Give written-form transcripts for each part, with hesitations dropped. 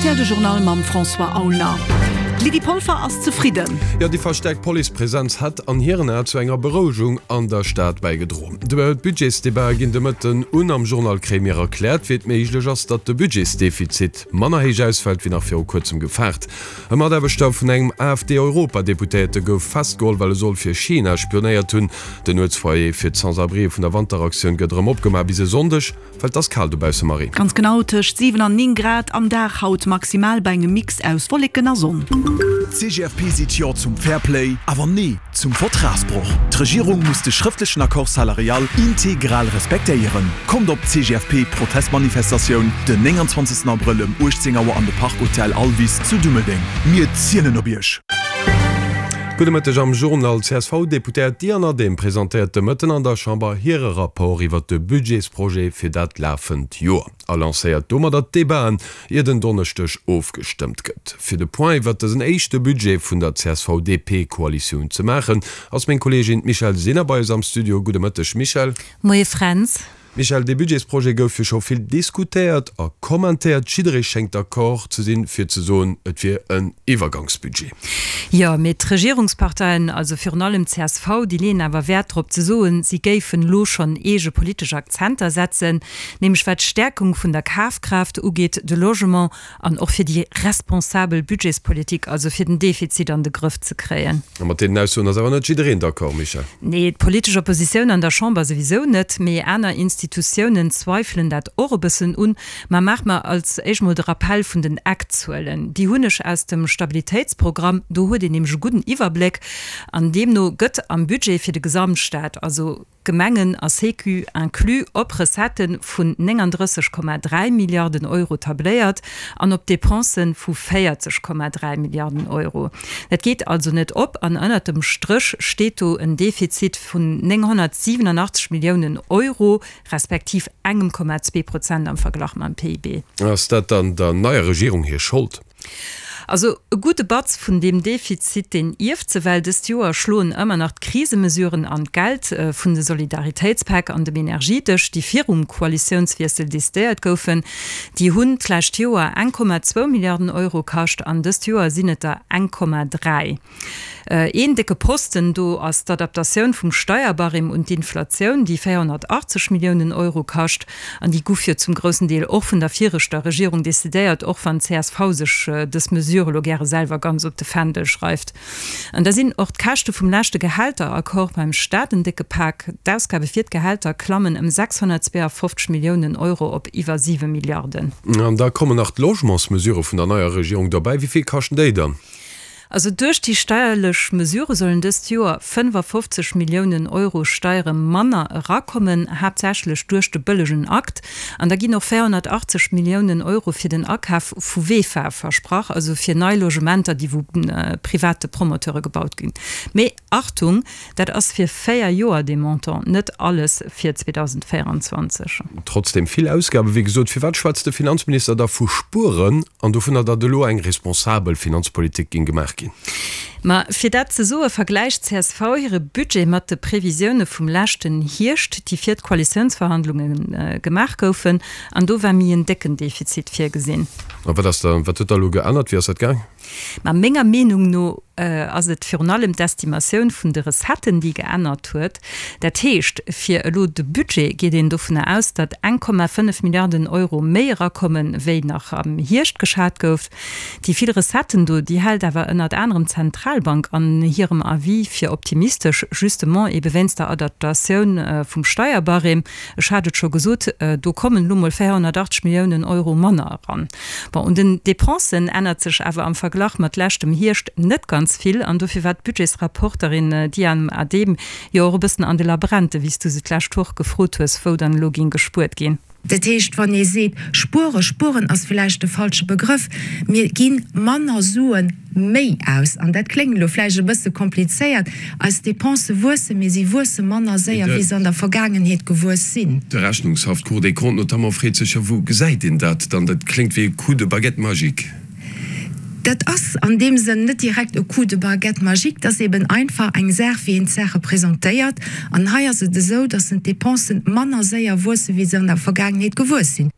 Rtl de Journal mam François Aulner. D'Lydie Polfer ass zefridden. Jo, déi verstäerkt Policepresenz hätt an hiren Ae zu enger Berouegung an der Stad bäigedroen. D'Budgetsdebatë ginn de Mëtten un. Am Journal kréie mir erkläert, wéi et méiglech ass, datt de Budgetsdefizit manner héich ausfält, wéi nach viru kuerzem gefaart. E Mataarbechter vun engem AfD-Europadeputéierte gouf festgeholl, well e soll fir China spionéiert hunn. Den Nuetsfoyer fir d'Sans-abrien vun der Wanteraktioun gëtt erëm opgemaach bis e Sonndeg. Well 't ass kal dobausse, Marie. Ganz genau, tëscht 7 an 9 Grad am Dag haut maximal bei engem Mix aus Wolleken a Sonn. D'CGFP seet Jo zum Fairplay, awer Nee zum Vertragsbroch. D'Regierung muss de schrëftlechen Accord salarial integral respektéieren. Kommt op d'CGFP-Protestmanifestatioun den 29 Abrëll ëm 18 Auer an de Park Hotel Alvis zu Dummeldeng. Mir zielen op Iech! Gudde Mëtteg am Journal. D'CSV-Deputéiert Diane Adehm presentéiert de Mëtten an der Chamber hire Rapport iwwert de Budgetsprojet fir dat lafend Joer a lancéiert domadder d'Debaten, ier den Donneschdeg ofgestëmmt gëtt. Fir de Point iwwert dësen éischte Budget vun der CSV-DP-Koalitioun ze maachen, ass meng Kolleegin d'Michèle Sinner bei eis am Studio. Gudde Mëtteg Michèle. Moie Fränz. Michèle, dee Budgetsprojet gouf jo scho vill diskutéiert a kommentéiert. Jidderee schéngt d'accord ze sinn, fir ze soen, et wier en Iwwergangsbudget. Jo, mee d'Regierungsparteien, also virun allem csv, déi leeën awer Wäert drop ze soen, si géifen elo schonn eege politesch Akzenter setzen, nämlech wat d'Stäerkung vun der Kafkraaft ugeet, de Logement An och fir déi responsabel Budgetspolitik, also fir den Defizit an de Grëff ze kréien. A mat deenen Aussoen ass awer net jiddereen d'accord, Michèle. Nee, d'politesch Oppositioun an der Chamber souwisou net, mee aner Institutiounen zweifelen dat och e bëssen un. Ma maache mer als éischt mol de Rappell vun den Eckzuelen. Déi hunn ech aus dem Stabilitéitsprogramm, do huet een nämlech e gudden Iwwerbléck. An deemno gëtt am Budget fir de Gesamtstaat, also Gemengen a Sécu inclus, op Recettë vun 39,3 Milliarden Euro tabléiert an op Depensë vu 40,3 Milliarden Euro. Dat geet also net op an ënnert dem Stréch steet do en Defizit vun 987 Milliounen Euro, respektiv engem Komma zwee Prozent am Verglach mam PIB. Ass dat dann der neier Regierung hir Schold? Also e gudde Batz vun deem Defizit, deen ierft se, well dëst Joer schloen ëmmer nach d'Krisemesuren an d'Geld vun de Solidaritéitspäck an dem Energiedësch, déi virum Koalitiounswiessel decidéiert goufen. Déi hunn d'lescht Joer 1,2 Milliarden Euro kascht an dëst Joer sinn et der 1,3. Een décke Posten do ass d'Adaptatioun vum Steierbarème un d'Inflatioun, déi 480 Milliounen Euro kascht. An déi guff jo zum groussen Deel och vun der viregter Regierung decidéiert, och wann csv sech dës Mesure elo gäre selwer ganz op de Fändel schreift. An da sinn och d'Käschte vum leschte Gehälteraccord beim Staat en décke Pak. D'Ausgabe fir d'Gehälter klammen ëm 652 Milliounen Euro op iwwer 7 Milliarden. An da kommen nach d'Logementsmesurë vun der neier Regierung derbäi. Wéi vill kaschten déi dann? Also duerch déi steierlech Mesurë sollen dëst Joer 55 Milliounen Euro Steiere manner erakommen, haaptsächlech duerch de bëllegen Akt. An da ginn och 480 Milliounen Euro fir den Akaf vu VEFA versprach, also fir nei Logementer, déi vu private Promoteure gebaut ginn. Mee Achtung, dat ass fir 4 Joer dee Montant, net alles fir 2024. Trotzdem vill Ausgaben, wéi gesot. Firwat schwätzt de Finanzminister da vu Spueren an dovunner, datt elo eng responsabel Finanzpolitik géing gemaach ginn? Ma fir dat ze soe vergläicht csv hire Budget mat de Previsioune vum leschten Hierscht, déi fir d'Koalitiounsverhandlunge gemaach goufen. An do war méi en décken Defizit virgesinn. A wat ass da, wat huet da elo geännert? Wéi ass dat gaang? Ma menger Meenung no ass et virun allem d'Estimatioun vun de Recetten, déi geännert huet. Dat heescht, fir elo de Budget geet een dovunner aus, datt 1,5 Milliarden Euro méi erakommen, wéi nach am Hierscht geschat gouf. Déi vill Recetten do, déi hält awer ënnert anerem d'Zentralbank an hirem Avis fir optimistesch, justement ebe wéinst der Adaptatioun vum Steierbarème. Ech hat et scho gesot, do kommen elo mol 480 Milliounen Euro manner eran. Bon, un den Dépensen ännert sech awer am Verglach mat leschtem Hierscht net ganz vill an dofir war d'Budgetsrapporterin Diane Adehm jo och e bëssen an de Labrente, wéi s du se d'lescht Woch gefrot hues, wou dann elo géing gespuert ginn. Dat heescht, wann ee seet spuere, spueren ass vläicht de falsche Begrëff, mir gi manner Sue méi aus. An dat kléngt elo vläicht e bësse komplizéiert, eis Depensë wuessen, mee si wuesse manner séier, wéi se an der Vergaangenheet gewuess sinn. De Rechnungshaff, d'Cour des Comptes notamment, freet sech jo, Wou gesäit een dat dann? Dat kléngt wéi e Coup de baguette magique. Dat ass an deem Sënn net direkt e Coup de baguette magique, dat ass eben einfach eng Saach, wéi een d'Saache presentéiert. An hei ass et esou, dass d'Depensen manner séier wuessen, wéi se an der Vergaangenheet gewuess sinn.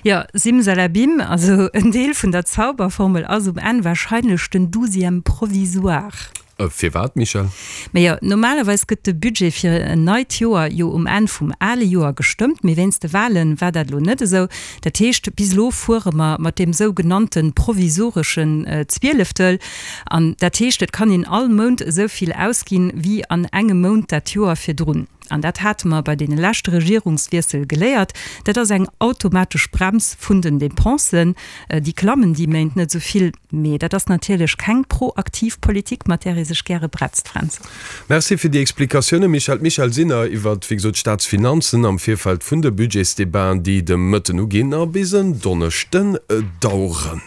Jo, Simsalabim, also en Deel vun der Zauberformel ass um Enn wahrscheinlech den Douzième provisoire. Firwat, Michèle? Majo, normalerweis gëtt de Budget fir en neit Joer jo um Enn vum ale Joer gestëmmt, mee wéinst de Wale war dat elo net esou. Dat heescht, bis elo fuere mer mat deem sou genannte provisoreschen Zwieleftel. An dat heescht, et kann een all Mount esou vill ausginn, wéi an engem Mount dat Joer virdrun. An dat hate mer bei deene leschte Regierungswiessel geléiert, dat ass eng automatesch Brems vun den Dépensen. Déi klammen déi Méint net esou vill. Mee dat ass natierlech keng proaktiv Politik, mat där ee sech gäre bretzt, Fränz. Merci fir déi Explikatiounen, Michèle. D'Michèle Sinner iwwert, wéi gesot, d'Staatsfinanzen am Virfeld vun de Budgetsdebaten, déi de Mëtten uginn a bis en Donneschden daueren.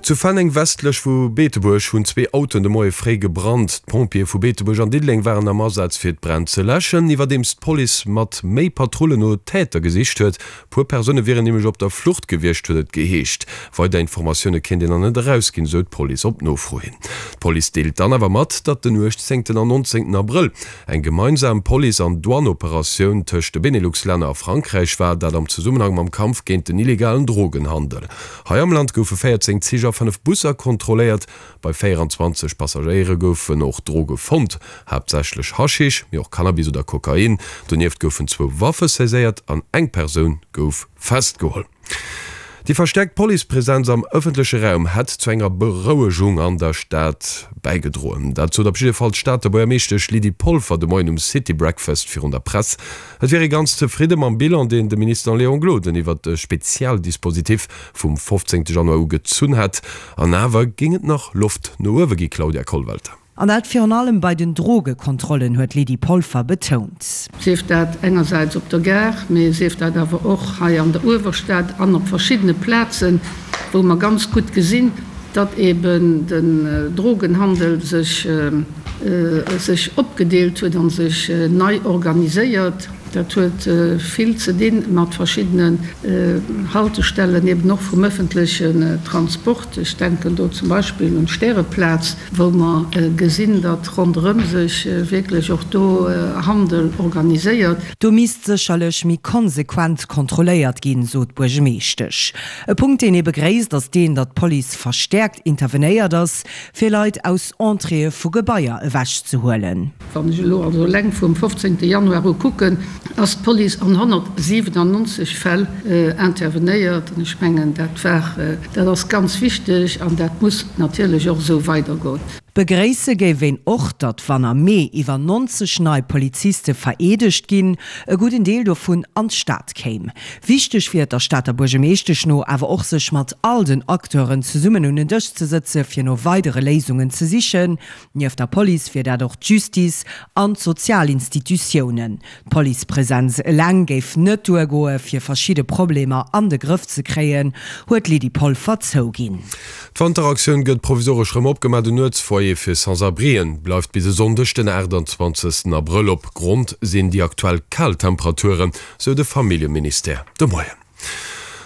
Zu Fenneng westlech vu Beetebuerg hunn zwee Autoen de Moie fréi gebrannt. D'Pompjeeë vu Beetebuerg an Diddeleng waren am Asaz fir d'Bränn ze läschen, iwwerdeems d'Police mat méi Patrullen no Täter gesicht huet. Puer Persoune wieren nämlech op der Flucht gewiescht, huet et geheescht. Weider Informatioune kéint een nach net erausginn, esou d'Police op Nofro hin. D'Police deelt dann awer mat, datt den 18 an 19 Abrëll eng gemeinsam Police an Douane-Operatioun tëscht de Benelux-Länner a Frankräich war, dat am Zesummenhang mam Kampf géint den illegalen Drogenhandel. Hei am Land goufe 14 Zich a 5 Busser kontrolléiert. Bei 24 Passagéiere goufen och Droge fonnt, haaptsächlech Haschisch, mee och Cannabis oder Kokain. Donieft goufen zwou Waffe saiséiert an eng Persoun gouf festgeholl. Déi verstäerkt Policepresenz am ëffentleche Raum hätt zu enger Berouegung an der Stad bäigedroen. Dat sot op jidde Fall d'Stater Buergermeeschtesch Lydie Polfer de Moien um City Breakfast virun der Press. Et wier ee ganz zefridde mam Bilan, deen de Minister Léon Gloden iwwert de Spezialdispositif vum 15 Januar u gezunn hätt. An awer géing et nach Loft no uewe gi, Claudia Kollwelter. An dat virun allem bei den Drogekontrollen, huet d'Lydie Polfer betount. Sief dat engersäits op der Gare, mee sief dat awer och hei an der Uewerstad an op verschiddene Plazen, wou mer ganz gutt gesinn, datt eben den Drogenhandel sech sech opgedeelt huet a sech nei organiséiert. Dat huet vill ze di mat verschiddenen Haltestellen, eben och vum ëffentlechen Transport. Ech denken do zum Beispill un d'Stäreplaz, wou mer gesinn, datt ronderëm sech wierklech och do Handel organiséiert. Do misst sécherlech méi konsequent kontrolléiert ginn, sot d'Buergemeeschtesch. E Punkt, deen ee begréisst, ass deen, datt d'Police verstäerkt intervenéiert ass, fir Leit aus Entréeë vu Gebaier ewechzehuelen. Wann ech elo also eleng vum 15 Januar u kucken, ass d'Police an 197 Fäll intervenéiert. An ech mengen, dat war, dat ass ganz wichteg an dat muss natierlech och esou weidergoen. Begréisse géif een och, datt wann am Mee iwwer 90 nei Poliziste vereedegt ginn, e gudden Deel dovun an d'Stad kéim. Wichteg wier et der Stater Buergemeeschtesch no awer och sech mat all den Acteuren zesummen un en Dësch ze sëtze fir no weidere Léisungen ze sichen. Nieft der Police wier dat och d'Justice an d'sozial Institutiounen. D'Policepresenz eleng géif net duergoe fir verschidde Problemer an de Grëff ze kréien, huet d'Lydie Polfer zouginn. D'Wanteraktioun gëtt provisoresch rëm opgemaach. Den Nuetsfoyer fir Sans-abrien bleift bis e Sonndeg den 28 Abrëll op. Grond sinn déi aktuell kal Temperaturen, sou de Familljeministère de Moien.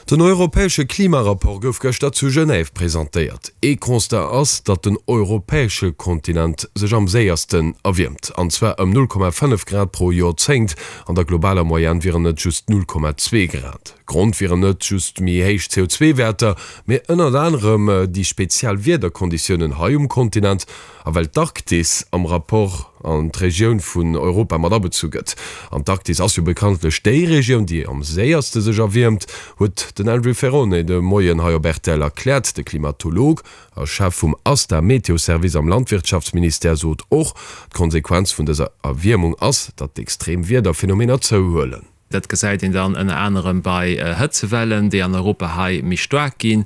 Den europäesche Klimarapport gouf gëschter zu Genève presentéiert. Ee Constat ass, datt den europäesche Kontinent sech am séiersten erwiermt, an zwar ëm 0,5 Grad pro Joerzéngt. An der globaler Moyenne wieren et just 0,2 Grad. Grond wieren net just méi héich CO2-Wäerter, mee ënnert anerem déi speziell Wiederkonditiounen hei um Kontinent A well d'Arktis am Rapport an d'Regioun vun Europa mat abezu gëtt, an d'Arktis ass jo bekanntlech déi Regioun, déi am séierste sech erwiermt, huet den Andrew Ferrone de Moien hei op rtl erkläert. De Klimatolog a Chef vum ASTA Meteo-Service am Landwirtschaftsministère sot och, d'Konsequenz vun dëser Erwiermung ass, datt d'extrem Wiederphenomener zouhuelen. Dat gesäit een dann ënner anerem bei Hëtzewellen, déi an Europa hei méi staark ginn.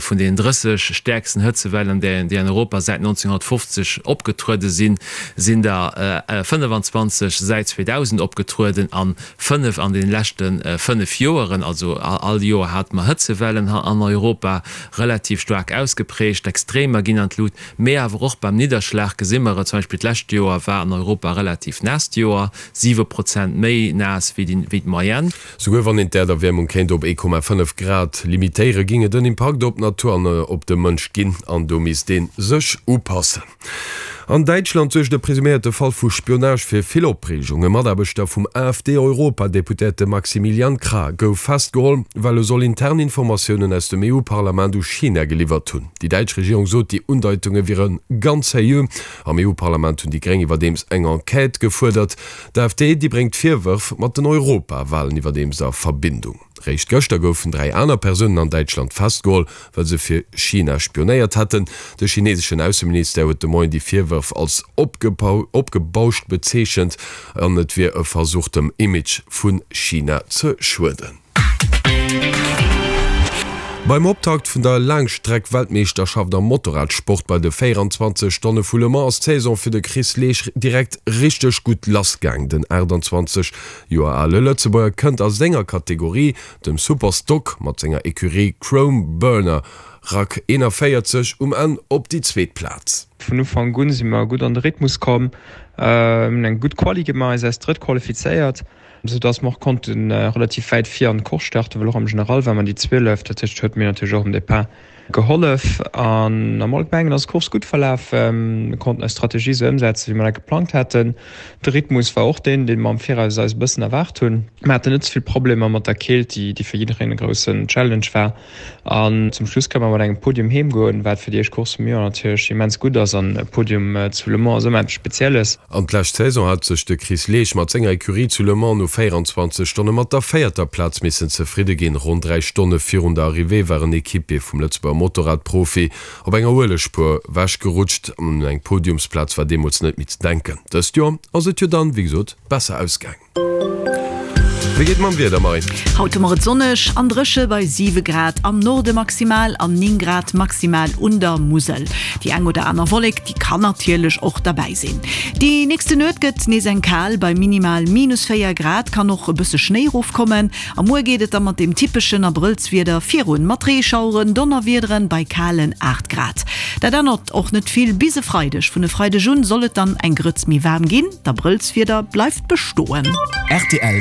Vun deenen 30 stäerksten Hëtzewellen, déi an Europa säit 1950 opgetruede sinn, sinn der 25 säit 2000 opgetrueden an 5 an deene leschte 5 Joeren. Also all Joer hate mer Hëtzewellen an Europa, relativ staark ausgeprägt. D'Extremer ginn an d'Lut, mee awer och beim Nidderschlag gesi mer et. Zum Beispill d'lescht Joer war an Europa e relativ naasst Joer. 7 Prozent méi naass wéi d'Moyenne. Souguer wann een d'Äerderwäermung kéint op 1,5 Grad limitéieren, géing et en Impakt op d'Natur an op de Mënsch ginn an do misst ee sech upassen. An Däitschland suergt e presuméierte Fall vu Spionage fir vill Opreegung. E Mataarbechter vum AfD-Europadeputéierte Maximilian Krah gouf festgeholl, well e soll intern Informatiounen aus dem EU-Parlament u China geliwwert hunn. Déi däitsch Regierung sot, déi Undeitunge wiere ganz seriö. Am EU-Parlament hunn déi Gréng iwwerdeems eng Enquête gefuerdert. D'AfD, déi bréngt d'Virwërf mat den Europawalen iwwerdeems a Verbindung. Réischt gëschter goufen 3 aner Persounen an Däitschland festgeholl, well se fir China spionéiert hätten. De chineseschen Ausseministère huet de Moien déi Virwërf als opgebauscht bezeechent an et wier e Versuch dem Image vu China ze schueden. Beim Optakt vun der Laangstreck-Weltmeeschterschaft am Motorradsport bei de 24 Stonne vu Le Mans ass d'Saison fir de Chris Leesch direkt richteg gutt lassgaang. Den 28 Joer ale Lëtzebuerger kënnt a senger Kategorie, dem Superstock, mat senger Ecurie Chrome Burner Rack 41 um Enn op déi zweet Plaz. Vun Ufank un si mer gutt an de Rhythmus komm, hunn eng gutt Quali gemaach, eis als Drëtt qualifizéiert, sou dass mer och konnte relativ wäit vir an d'Course starten, well och am General war mer déi 12. Dat heescht, huet mir natierlech och um Depart Gehollef an am Allgemengen ass d'Course gutt verlaf. Mir konnten eis Strategie esou ëmsetzen, wéi mer dat geplangt haten. De Rhythmus war och deen, dee mer am Viraus eis e bëssen erwaart hunn. Mer haten net ze vill Problemer mat der Keelt, déi fir jiddereen e groussen Challenge war. An zum Schluss kënne mer mat engem Podium heem goen, wat fir déi éischt Course vum Joer natierlech immens gutt ass. An e Podium zu Le Mans ass ëmmer eppes Spezielles. An d'lescht Saison hat sech de Chris Leesch mat senger Ecurie zu Le Mans no 24 Stonne mat der véierter Plaz missen zefridde ginn. Ronn 3 Stonne virun der Arrivée war en Equipier vum Lëtzebuerger Motorradprofi op enger Uelegspuer wechgerutscht. Un eng Podiumsplaz war deemools net méi ze denken. Dëst Joer ass et jo dann, wéi gesot, besser ausgaang. Wéi geet et mam Wieder, Marie? Haut hu mer et sonneg an dréche bei 7 Grad am Norde maximal an 9 Grad maximal un der Musel. Déi eng oder aner Wollek, déi kann natierlech och derbäi sinn. Déi nächste Nuet gëtt nees eng kal, bei minimal minus 4 Grad kann och e bësse Schnéi erofkommen. A muer geet et da mat deem typeschen Abrëllswieder virun, mat Reeschaueren, Donnerwiederen bei kalen 8 Grad. Dat ännert och net vill bis e Freideg. Vun e Freideg un soll et dann eng Grëtz méi waarm ginn. D'Abrëllswieder bleift bestoen. Rtl.